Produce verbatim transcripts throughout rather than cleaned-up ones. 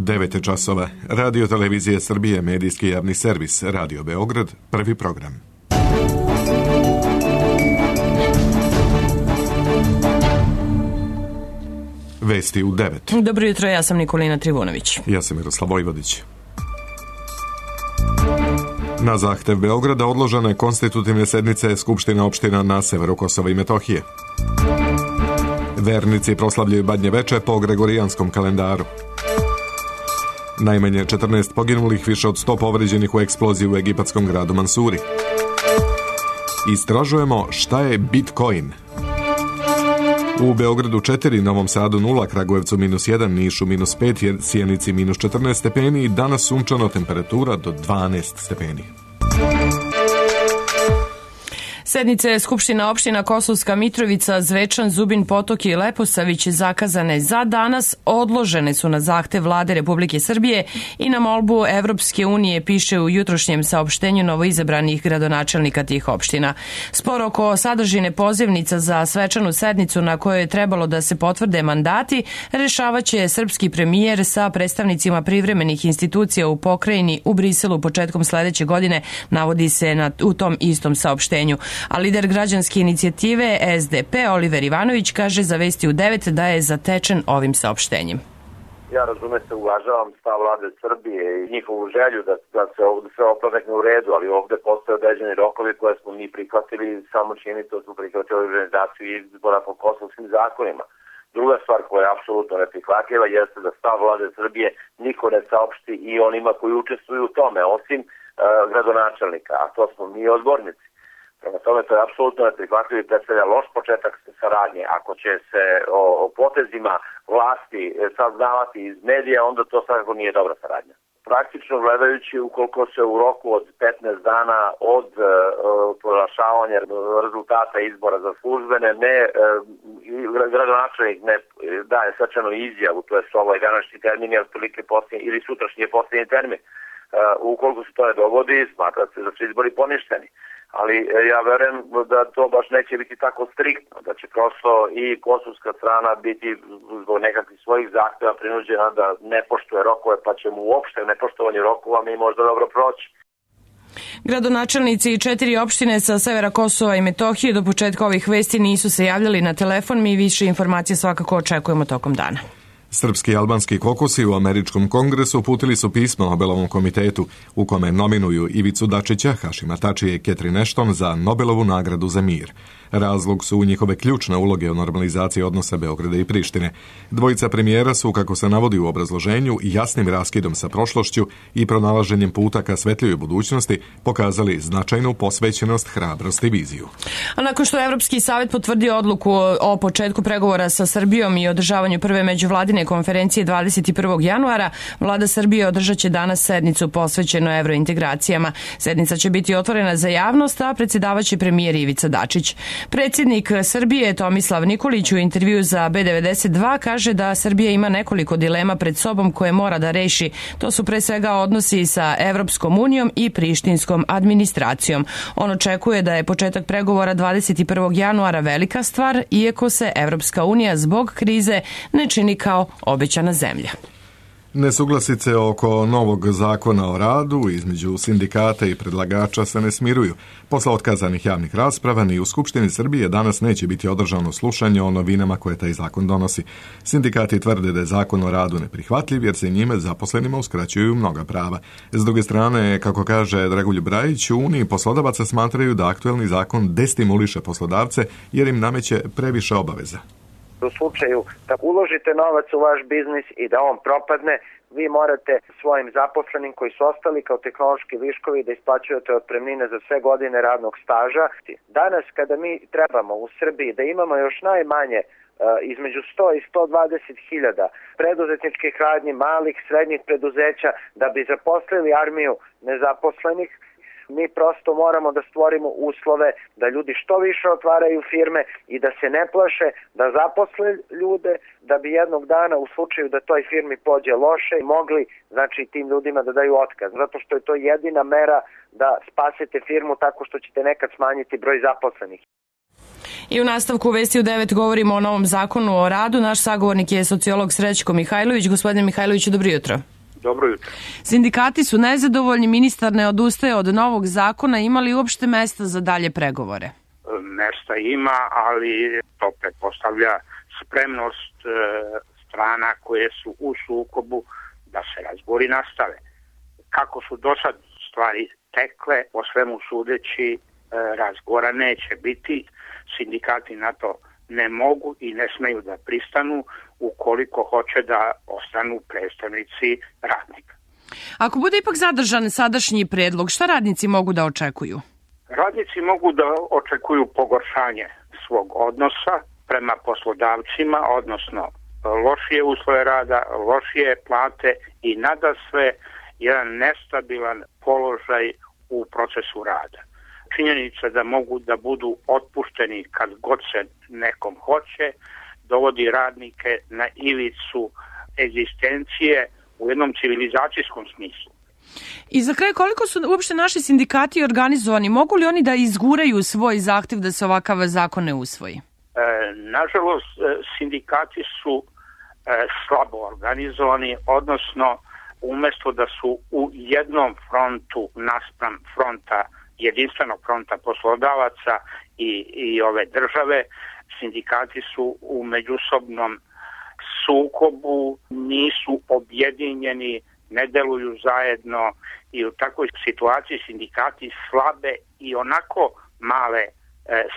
devet je časova. Radio Televizije Srbije, medijski javni servis, Radio Beograd, prvi program. Vesti u devet. Dobro jutro, ja sam Nikolina Trivunović. Ja sam Miroslav Vojvodić. Na zahtev Beograda odložene konstitutivne sednice Skupštine opština na severu Kosova i Metohije. Vernici proslavljaju Badnje veče po gregorijanskom kalendaru. Najmanje četrnaest poginulih, više od sto povređenih u eksploziji u egipatskom gradu Mansuri. Istražujemo šta je Bitcoin. U Beogradu četiri, Novom Sadu nula, Kragujevcu minus jedan, Nišu minus pet, Sjenici minus četrnaest stepeni i danas sunčano, temperatura do dvanaest stepeni. Sednice Skupština opština Kosovska Mitrovica, Zvečan, Zubin Potok i Leposavić zakazane za danas odložene su na zahtev Vlade Republike Srbije i na molbu Evropske unije, piše u jutrošnjem saopštenju novoizabranih gradonačelnika tih opština. Spor oko sadržine pozivnica za svečanu sednicu na kojoj je trebalo da se potvrde mandati rešavaće srpski premijer sa predstavnicima privremenih institucija u pokrajini u Briselu početkom sledeće godine, navodi se na, u tom istom saopštenju. A lider građanske inicijative S D P Oliver Ivanović kaže za Vesti u devet da je zatečen ovim saopštenjem. Ja razume se, uvažavam stav Vlade Srbije i njihovu želju da, da se ovdje sve oplavekne u redu, ali ovdje postoje određeni rokovi koje smo mi prihvatili, samo čini to smo prihvatili organizaciju izbora po kosovskim zakonima. Druga stvar koja je apsolutno neprihvatljiva jeste da stav Vlade Srbije niko ne saopšti i onima koji učestvuju u tome, osim uh, gradonačelnika, a to smo mi odbornici. Prema tome, to je apsolutno neprihvatljivo i predstavlja loš početak saradnje. Ako će se o, o potezima vlasti saznavati iz medija, onda to svakako nije dobra saradnja. Praktično gledajući, ukoliko se u roku od petnaest dana od e, proglašavanja rezultata izbora za službene ne e, gradonačelnik ne daje svečanu izjavu, to je ovaj današnji termin je otprilike posljednji, ili sutrašnji je posljednji termin. E, ukoliko se to ne dogodi, smatra se da su izbori poništeni. Ali ja verujem da to baš neće biti tako striktno, da će prosto i kosovska strana biti zbog nekakvih svojih zahtjeva prinuđena da ne poštuje rokove, pa će mu uopšte nepoštovanju rokova mi možda dobro proći. Gradonačelnici i četiri opštine sa severa Kosova i Metohije do početka ovih vesti nisu se javljali na telefon, mi više informacije svakako očekujemo tokom dana. Srpski i albanski kokosi u Američkom kongresu uputili su pismo Nobelovom komitetu u kome nominuju Ivicu Dačića, Hašima Tačija i Catherine Ashton za Nobelovu nagradu za mir. Razlog su njihove ključne uloge u normalizaciji odnosa Beograda i Prištine. Dvojica premijera su, kako se navodi u obrazloženju, jasnim raskidom sa prošlošću i pronalaženjem puta ka svetlijoj budućnosti pokazali značajnu posvećenost, hrabrost i viziju. A nakon što je Evropski savjet potvrdio odluku o početku pregovora sa Srbijom i održavanju prve međuvladine konferencije dvadeset prvog januara, Vlada Srbije održat će danas sednicu posvećenu evrointegracijama. Sednica će biti otvorena za javnost, a predsjedavaće premijer Ivica Dačić. Predsjednik Srbije Tomislav Nikolić u intervju za B devedeset dva kaže da Srbija ima nekoliko dilema pred sobom koje mora da reši. To su pre svega odnosi sa Evropskom unijom i prištinskom administracijom. On očekuje da je početak pregovora dvadeset prvog januara velika stvar, iako se Evropska unija zbog krize ne čini kao obećana zemlja. Nesuglasice oko novog zakona o radu između sindikata i predlagača se ne smiruju. Posle otkazanih javnih rasprava ni u Skupštini Srbije danas neće biti održano slušanje o novinama koje taj zakon donosi. Sindikati tvrde da je zakon o radu neprihvatljiv jer se njime zaposlenima uskraćuju mnoga prava. S druge strane, kako kaže Dragoljub Brajić, u Uniji poslodavaca smatraju da aktuelni zakon destimuliše poslodavce jer im nameće previše obaveza. U slučaju da uložite novac u vaš biznis i da on propadne, vi morate svojim zaposlenim koji su ostali kao tehnološki viškovi da isplaćujete otpremnine za sve godine radnog staža. Danas kada mi trebamo u Srbiji da imamo još najmanje između sto i sto dvadeset hiljada preduzetničkih radnji, malih, srednjih preduzeća da bi zaposlili armiju nezaposlenih, mi prosto moramo da stvorimo uslove da ljudi što više otvaraju firme i da se ne plaše, da zaposle ljude, da bi jednog dana u slučaju da toj firmi pođe loše mogli, znači, tim ljudima da daju otkaz. Zato što je to jedina mera da spasete firmu tako što ćete nekad smanjiti broj zaposlenih. I u nastavku Vesti u devet govorimo o novom zakonu o radu. Naš sagovornik je sociolog Srećko Mihajlović. Gospodine Mihajloviću, dobro jutro. Dobro jutro. Sindikati su nezadovoljni, ministar ne odustaje od novog zakona, ima li uopšte mesta za dalje pregovore? Mesta ima, ali to pretpostavlja spremnost e, strana koje su u sukobu da se razgovori nastave. Kako su do sad stvari tekle, po svemu sudeći e, razgovora neće biti. Sindikati na to ne mogu i ne smeju da pristanu ukoliko hoće da ostanu predstavnici radnika. Ako bude ipak zadržan sadašnji predlog, šta radnici mogu da očekuju? Radnici mogu da očekuju pogoršanje svog odnosa prema poslodavcima, odnosno lošije uslove rada, lošije plate i nadasve jedan nestabilan položaj u procesu rada. Činjenica da mogu da budu otpušteni kad god se nekom hoće, dovodi radnike na ivicu egzistencije u jednom civilizacijskom smislu. I za kraj, koliko su uopšte naši sindikati organizovani? Mogu li oni da izguraju svoj zahtev da se ovakav zakon ne usvoji? E, nažalost, sindikati su e, slabo organizovani, odnosno umesto da su u jednom frontu naspram fronta, jedinstvenog fronta poslodavaca i, i ove države, sindikati su u međusobnom sukobu, nisu objedinjeni, ne deluju zajedno i u takvoj situaciji sindikati slabe i onako male e,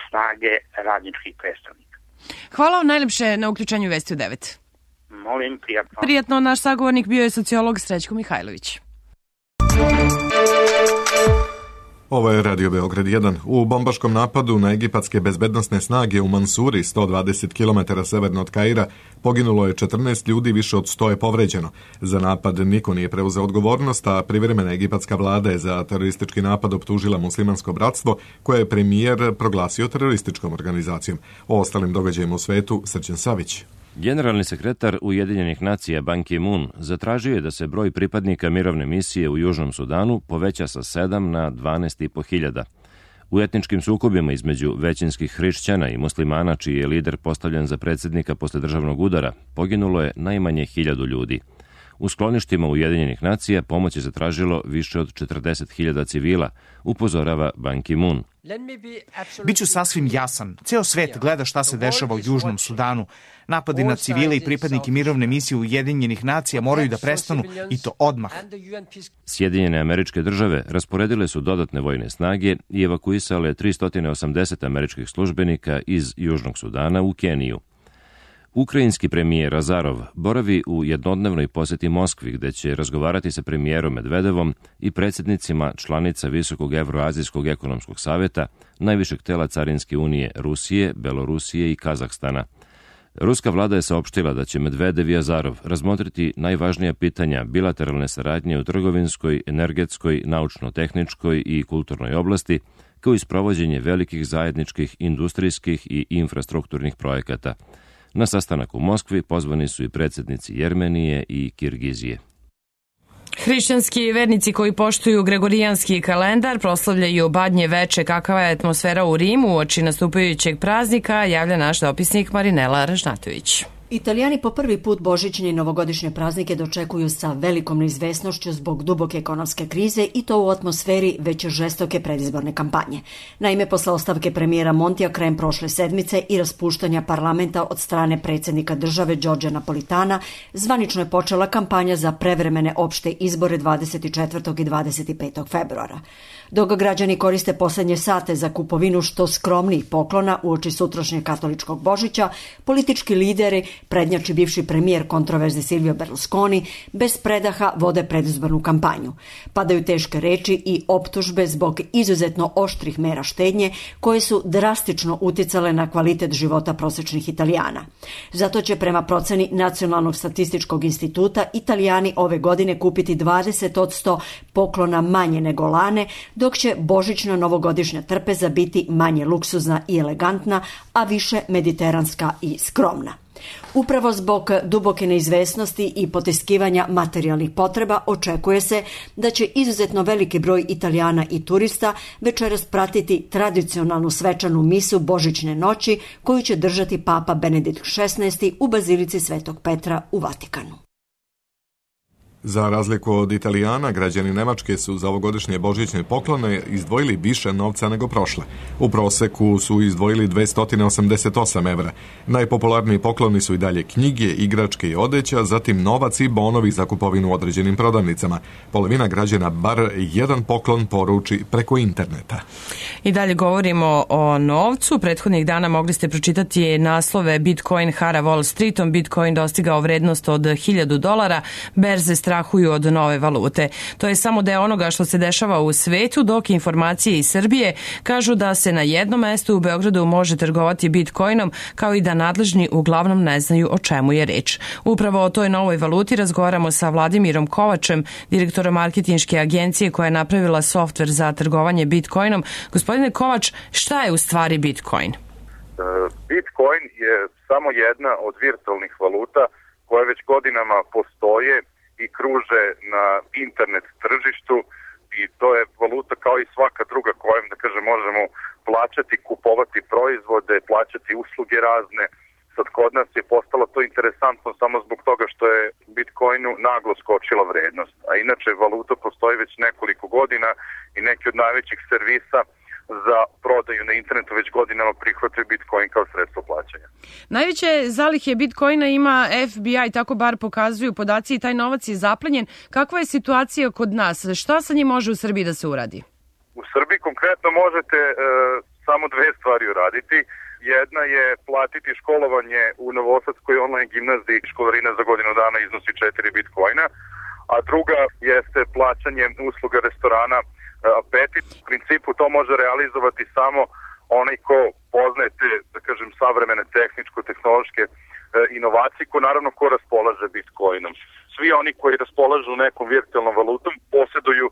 snage radničkih predstavnika. Hvala vam najlepše na uključenju Vesti u devet. Molim, prijatno. Prijatno, naš sagovornik bio je sociolog Srećko Mihajlović. Ovo je Radio Beograd jedan. U bombaškom napadu na egipatske bezbednosne snage u Mansuri, sto dvadeset kilometara severno od Kaira, poginulo je četrnaest ljudi, više od sto je povređeno. Za napad niko nije preuzeo odgovornost, a privremena egipatska vlada je za teroristički napad optužila Muslimansko bratstvo, koje je premijer proglasio terorističkom organizacijom. O ostalim događajima u svetu, Srđan Savić. Generalni sekretar Ujedinjenih nacija Ban Ki-moon zatražio je da se broj pripadnika mirovne misije u Južnom Sudanu poveća sa sedam na dvanaest i po hiljada. U etničkim sukobima između većinskih hrišćana i muslimana, čiji je lider postavljen za predsjednika posle državnog udara, poginulo je najmanje hiljadu ljudi. U skloništima Ujedinjenih nacija pomoć je zatražilo više od četrdeset hiljada civila, upozorava Ban Ki-moon. Biću sasvim jasan. Ceo svet gleda šta se dešava u Južnom Sudanu. Napadi na civile i pripadnike mirovne misije Ujedinjenih nacija moraju da prestanu i to odmah. Sjedinjene Američke Države rasporedile su dodatne vojne snage i evakuisale tristo osamdeset američkih službenika iz Južnog Sudana u Keniju. Ukrajinski premijer Azarov boravi u jednodnevnoj poseti Moskvi, gde će razgovarati sa premijerom Medvedevom i predsjednicima članica Visokog Evroazijskog ekonomskog saveta, najvišeg tela Carinske unije Rusije, Belorusije i Kazahstana. Ruska vlada je saopštila da će Medvedev i Azarov razmotriti najvažnija pitanja bilateralne saradnje u trgovinskoj, energetskoj, naučno-tehničkoj i kulturnoj oblasti, kao i sprovođenje velikih zajedničkih industrijskih i infrastrukturnih projekata. Na sastanak u Moskvi pozvani su i predsjednici Jermenije i Kirgizije. Hrišćanski vernici koji poštuju gregorijanski kalendar proslavljaju Badnje veče. Kakva je atmosfera u Rimu uoči nastupajućeg praznika, javlja naš dopisnik Marinela Ražnatović. Italijani po prvi put božićne i novogodišnje praznike dočekuju sa velikom neizvesnošću zbog duboke ekonomske krize i to u atmosferi već žestoke predizborne kampanje. Naime, posle ostavke premijera Montija krajem prošle sedmice i raspuštanja parlamenta od strane predsjednika države Đorđa Napolitana, zvanično je počela kampanja za prevremene opšte izbore dvadeset četvrtog i dvadeset petog februara. Dok građani koriste poslednje sate za kupovinu što skromnijih poklona uoči sutrašnjeg katoličkog Božića, politički lideri, prednjači bivši premijer kontroverzni Silvio Berlusconi, bez predaha vode predizbornu kampanju. Padaju teške reči i optužbe zbog izuzetno oštrih mera štednje koje su drastično uticale na kvalitet života prosečnih Italijana. Zato će prema proceni Nacionalnog statističkog instituta Italijani ove godine kupiti dvadeset posto poklona manje nego lane, dok će božićna novogodišnja trpeza biti manje luksuzna i elegantna, a više mediteranska i skromna. Upravo zbog duboke neizvesnosti i potiskivanja materijalnih potreba očekuje se da će izuzetno veliki broj Italijana i turista večeras pratiti tradicionalnu svečanu misu Božićne noći koju će držati Papa Benedikt šesnaesti u Bazilici Svetog Petra u Vatikanu. Za razliku od Italijana, građani Nemačke su za ovogodišnje božićne poklone izdvojili više novca nego prošle. U proseku su izdvojili dvesta osamdeset osam evra. Najpopularniji pokloni su i dalje knjige, igračke i odeća, zatim novac i bonovi za kupovinu u određenim prodavnicama. Polovina građana bar jedan poklon poruči preko interneta. I dalje govorimo o novcu. Prethodnih dana mogli ste pročitati naslove Bitcoin hara Wall Streetom, Bitcoin dostigao vrednost od hiljadu dolara, berze strahuju od nove valute. To je samo deo onoga što se dešava u svetu, dok informacije iz Srbije kažu da se na jednom mestu u Beogradu može trgovati Bitcoinom, kao i da nadležni uglavnom ne znaju o čemu je reč. Upravo o toj novoj valuti razgovaramo sa Vladimirom Kovačem, direktorom marketinške agencije koja je napravila softver za trgovanje Bitcoinom. Gospodine Kovač, šta je u stvari Bitcoin? Bitcoin je samo jedna od virtualnih valuta koje već godinama postoje i kruže na internet tržištu i to je valuta kao i svaka druga kojom, da kažem, možemo plaćati, kupovati proizvode, plaćati usluge razne. Sad kod nas je postalo to interesantno samo zbog toga što je Bitcoinu naglo skočila vrednost, a inače valuta postoji već nekoliko godina i neki od najvećih servisa za prodaju na internetu već godinama prihvataju Bitcoin kao sredstvo plaćanja. Najveće zalihe Bitcoina ima F B I, tako bar pokazuju podaci, i taj novac je zaplenjen. Kakva je situacija kod nas? Šta sa njim može u Srbiji da se uradi? U Srbiji konkretno možete e, samo dve stvari uraditi. Jedna je platiti školovanje u Novosadskoj online gimnaziji, školarina za godinu dana iznosi četiri Bitcoina, a druga jeste plaćanje usluga restorana Apetit. U principu to može realizovati samo onaj ko poznaje te, da kažem, savremene tehničko-tehnološke inovacije, ko naravno ko raspolaže Bitcoinom. Svi oni koji raspolažu nekom virtualnom valutom posjeduju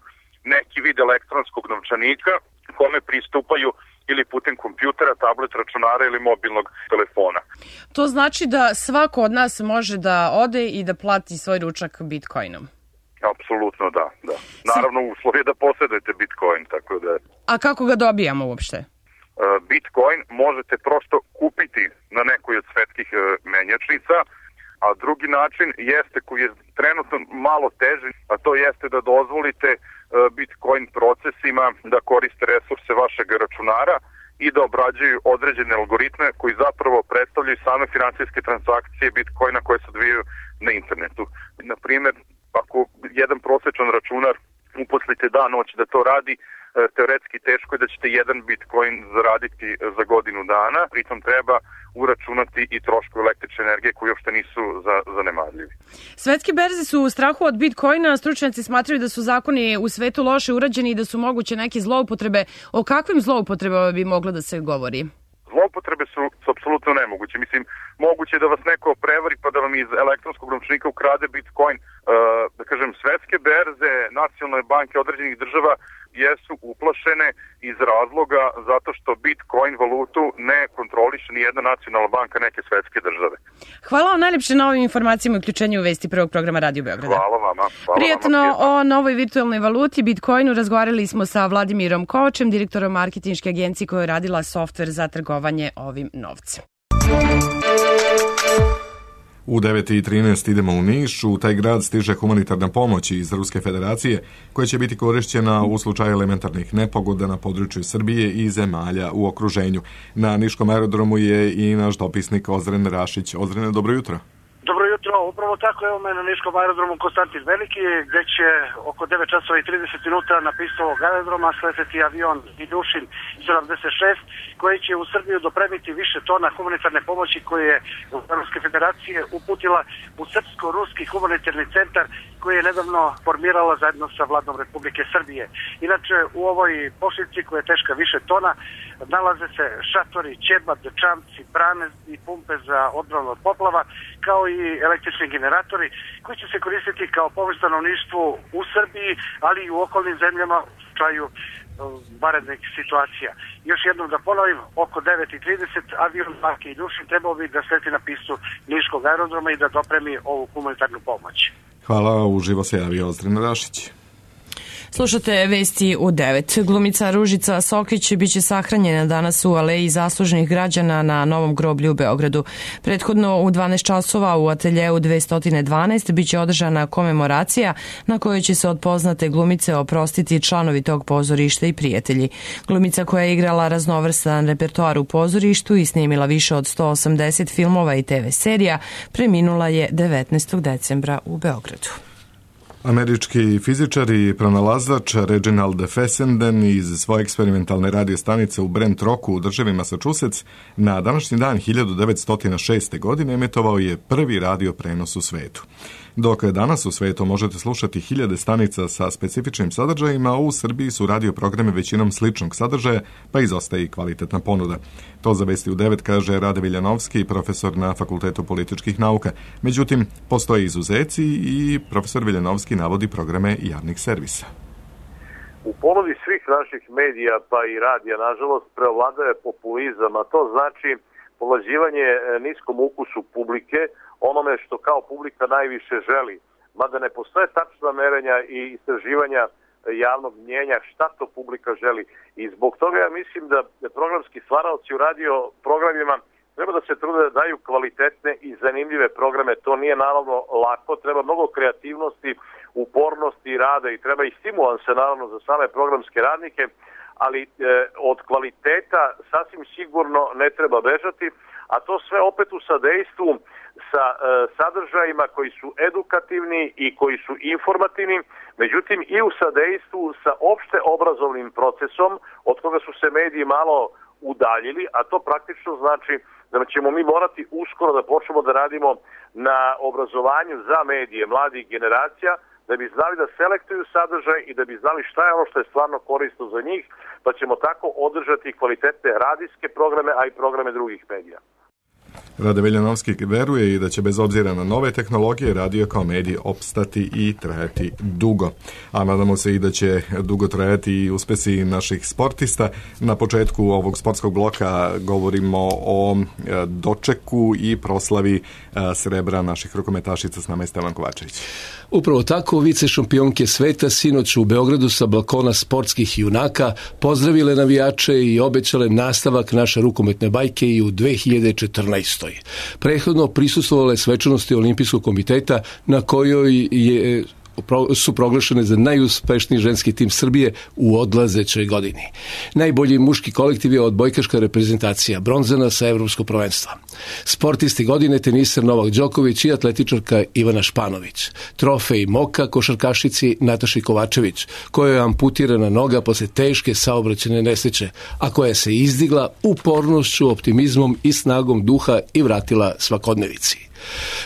neki vid elektronskog novčanika kome pristupaju ili putem kompjutera, tablet, računara ili mobilnog telefona. To znači da svako od nas može da ode i da plati svoj ručak Bitcoinom? Apsolutno da, da. Naravno uslov je da posjedujete Bitcoin, tako da... A kako ga dobijamo uopšte? Bitcoin možete prosto kupiti na nekoj od svetskih menjačnica, a drugi način jeste koji je trenutno malo teži, a to jeste da dozvolite Bitcoin procesima da koriste resurse vašeg računara i da obrađuju određene algoritme koji zapravo predstavljaju same finansijske transakcije Bitcoina koje se odvijaju na internetu. Na primjer, ako jedan prosječan računar uposlite dan noć da to radi, teoretski teško je da ćete jedan Bitcoin zaraditi za godinu dana, pritom treba uračunati i trošku električne energije koji uopšte nisu zanemarljivi. Svetske berze su u strahu od Bitcoina, stručnjaci smatraju da su zakoni u svetu loše urađeni i da su moguće neke zloupotrebe. O kakvim zloupotrebama bi moglo da se govori? Zloupotrebe su, su apsolutno nemoguće. Mislim, moguće je da vas neko prevari pa da vam iz elektronskog novčanika ukrade Bitcoin. Uh, da kažem, svetske berze, nacionalne banke određenih država jesu uplašene iz razloga zato što Bitcoin valutu ne kontroliše ni jedna nacionalna banka neke svetske države. Hvala vam najlepše na ovim informacijama i uključenju u vesti prvog programa Radio Beograda. Hvala vama. Hvala Prijatno vama. O novoj virtualnoj valuti Bitcoinu razgovarali smo sa Vladimirom Kovačem, direktorom marketinške agencije koja je radila softver za trgovanje ovim novcem. U devet i trinaest idemo u Niš. U taj grad stiže humanitarna pomoć iz Ruske federacije koja će biti korišćena u slučaju elementarnih nepogoda na području Srbije i zemalja u okruženju. Na Niškom aerodromu je i naš dopisnik Ozren Rašić. Ozrene, dobro jutro. Dobro jutro, upravo tako, evo me na Niškom aerodromu Konstantin Veliki, gdje će oko devet časova i trideset minuta na pistu ovog aerodroma sleteti avion Iljušin sedamdeset šest, koji će u Srbiju dopremiti više tona humanitarne pomoći koje je Ruske federacije uputila u Srpsko-ruski humanitarni centar koji je nedavno formirala zajedno sa vladom Republike Srbije. Inače, u ovoj pošiljci koja je teška više tona nalaze se šatori, ćebat, čamci, brane i pumpe za odbranu od poplava, kao i električni generatori koji će se koristiti kao pomoć stanovništvu u Srbiji, ali i u okolnim zemljama u slučaju vanrednih situacija. Još jednom da ponovim, oko devet i trideset avion marke Iljušin trebao bi da sleti na pistu Niškog aerodroma i da dopremi ovu humanitarnu pomoć. Hvala, uživo se javio Ozren Rašić. Slušate vesti u devet. Glumica Ružica Sokić biće sahranjena danas u Aleji zaslužnih građana na Novom groblju u Beogradu. Prethodno u dvanaest časova u ateljeu dvesta dvanaest biće održana komemoracija na kojoj će se od poznate glumice oprostiti članovi tog pozorišta i prijatelji. Glumica koja je igrala raznovrstan repertoar u pozorištu i snimila više od sto osamdeset filmova i te ve serija, preminula je devetnaestog decembra u Beogradu. Američki fizičar i pronalazač Reginald Fessenden iz svoje eksperimentalne radio stanice u Brent Rocku u državi Massachusetts na današnji dan hiljadu devetsto šeste. godine emitovao je prvi radio prenos u svetu. Dok danas u svetu možete slušati hiljade stanica sa specifičnim sadržajima, u Srbiji su radio programe većinom sličnog sadržaja, pa izostaje i kvalitetna ponuda. To za vesti u devet kaže Rade Viljanovski, profesor na Fakultetu političkih nauka. Međutim, postoje izuzeci i profesor Viljanovski navodi programe javnih servisa. U ponudi svih naših medija, pa i radija, nažalost, preovladaje populizam, a to znači povlađivanje niskom ukusu publike, onome što kao publika najviše želi. Mada ne postoje tačna merenja i istraživanja javnog mnjenja šta to publika želi. I zbog toga ja mislim da programski stvaraoci u radio programima treba da se trude da daju kvalitetne i zanimljive programe. To nije naravno lako, treba mnogo kreativnosti, upornosti, rada i treba i stimulanse naravno za same programske radnike, ali e, od kvaliteta sasvim sigurno ne treba bežati, a to sve opet u sadejstvu sa e, sadržajima koji su edukativni i koji su informativni, međutim i u sadejstvu sa opšte obrazovnim procesom od koga su se mediji malo udaljili, a to praktično znači da ćemo mi morati uskoro da počnemo da radimo na obrazovanju za medije mladih generacija, da bi znali da selektuju sadržaj i da bi znali šta je ono što je stvarno korisno za njih, pa ćemo tako održati kvalitetne radijske programe, a i programe drugih medija. Rade Viljanovski veruje i da će bez obzira na nove tehnologije radio kao medij opstati i trajati dugo. A nadamo se i da će dugo trajati i uspesi naših sportista. Na početku ovog sportskog bloka govorimo o dočeku i proslavi srebra naših rukometašica. S nama je Stevan Kovačević. Upravo tako, vice šampionke sveta sinoć u Beogradu sa balkona sportskih junaka pozdravile navijače i obećale nastavak naše rukometne bajke i u dve hiljade četrnaestoj. Prethodno prisustvovale svečanosti Olimpijskog komiteta na kojoj je su proglašene za najuspešniji ženski tim Srbije u odlazećoj godini. Najbolji muški kolektiv je odbojkaška reprezentacija, bronzana sa evropskog prvenstva. Sportisti godine teniser Novak Đoković i atletičarka Ivana Španović. Trofej Moka košarkašici Nataši Kovačević, koja je amputirana noga posle teške saobraćajne nesreće, a koja se izdigla upornošću, optimizmom i snagom duha i vratila svakodnevici.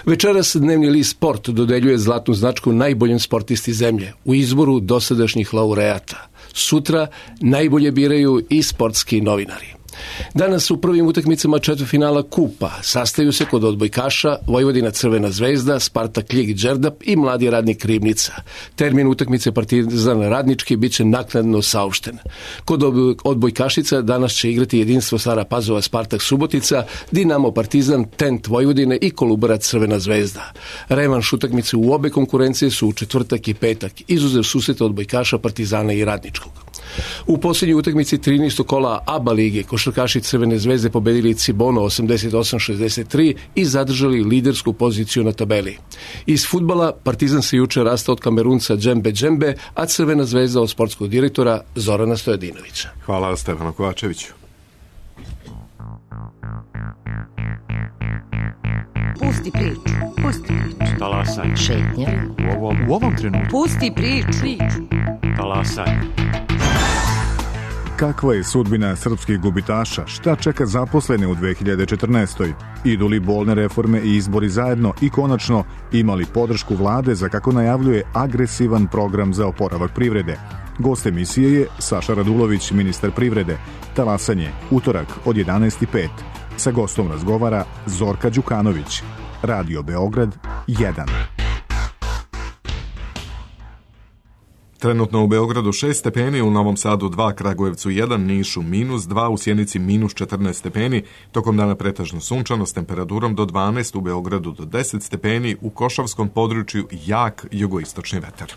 Večeras dnevni list Sport dodeljuje zlatnu značku najboljem sportisti zemlje u izboru dosadašnjih laureata. Sutra najbolje biraju i sportski novinari. Danas u prvim utakmicama četvrtfinala Kupa sastaju se kod odbojkaša Vojvodina Crvena zvezda, Spartak Ljig Đerdap i Mladi Radnik Ribnica. Termin utakmice Partizan Radnički biće naknadno saopšten. Kod odbojkašica danas će igrati Jedinstvo Stara Pazova Spartak Subotica, Dinamo Partizan, Tent Vojvodine i Kolubarac Crvena zvezda. Revanš utakmice u obe konkurencije su u četvrtak i petak, izuzev susreta odbojkaša Partizana i Radničkog. U posljednjoj utakmici trinaestog kola A B A lige košarkaši Crvene zvezde pobedili Cibono osamdeset osam šezdeset tri i zadržali lidersku poziciju na tabeli. Iz fudbala Partizan se juče rastao od Kamerunca Džembe Džembe, a Crvena zvezda od sportskog direktora Zorana Stojadinovića. Hvala Stefanu Kovačeviću. Pusti priču, pusti priču. Talasaj. Šetnja. U ovom, U ovom trenutku. Pusti priču. talasaj. Kakva je sudbina srpskih gubitaša? Šta čeka zaposlene u dve hiljade četrnaestoj? Idu li bolne reforme i izbori zajedno i konačno imali podršku vlade za, kako najavljuje, agresivan program za oporavak privrede? Gost emisije je Saša Radulović, ministar privrede. Talasanje, utorak od jedanaest i pet. Sa gostom razgovara Zorka Đukanović. Radio Beograd jedan. Trenutno u Beogradu šest stepeni, u Novom Sadu dva, Kragujevcu jedan, Nišu minus dva, u Sjenici minus četrnaest stepeni, tokom dana pretežno sunčano s temperaturom do dvanaest, u Beogradu do deset stepeni, u Košavskom području jak jugoistočni vetar.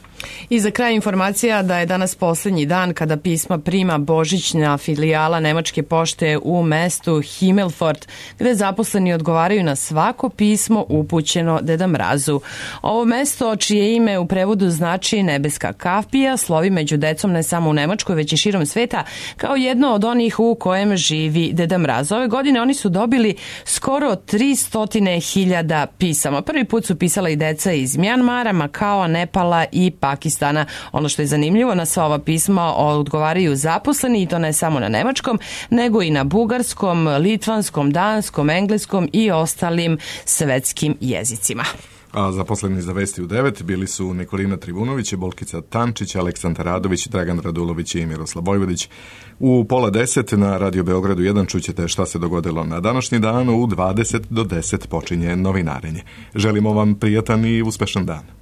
I za kraj informacija da je danas posljednji dan kada pisma prima božićna filijala Nemačke pošte u mestu Himmelfort, gde zaposleni odgovaraju na svako pismo upućeno Deda Mrazu. Ovo mesto, čije ime u prevodu znači nebeska kapija, slovi među decom ne samo u Nemačkoj, već i širom sveta, kao jedno od onih u kojem živi Deda Mraz. Ove godine oni su dobili skoro tristo hiljada pisama. Prvi put su pisala i deca iz Mjanmara, Makao, Nepala i Pakistana. Ono što je zanimljivo, na sva ova pisma odgovaraju zaposleni, i to ne samo na nemačkom, nego i na bugarskom, litvanskom, danskom, engleskom i ostalim svetskim jezicima. A zaposleni za Vesti u devet bili su Nikolina Trivunović, Bolkica Tančić, Aleksandar Radović, Dragan Radulović i Miroslav Vojvodić. U pola deset na Radio Beogradu jedan čućete šta se dogodilo na današnji dan. U dvadeset do deset počinje novinarenje. Želimo vam prijatan i uspešan dan.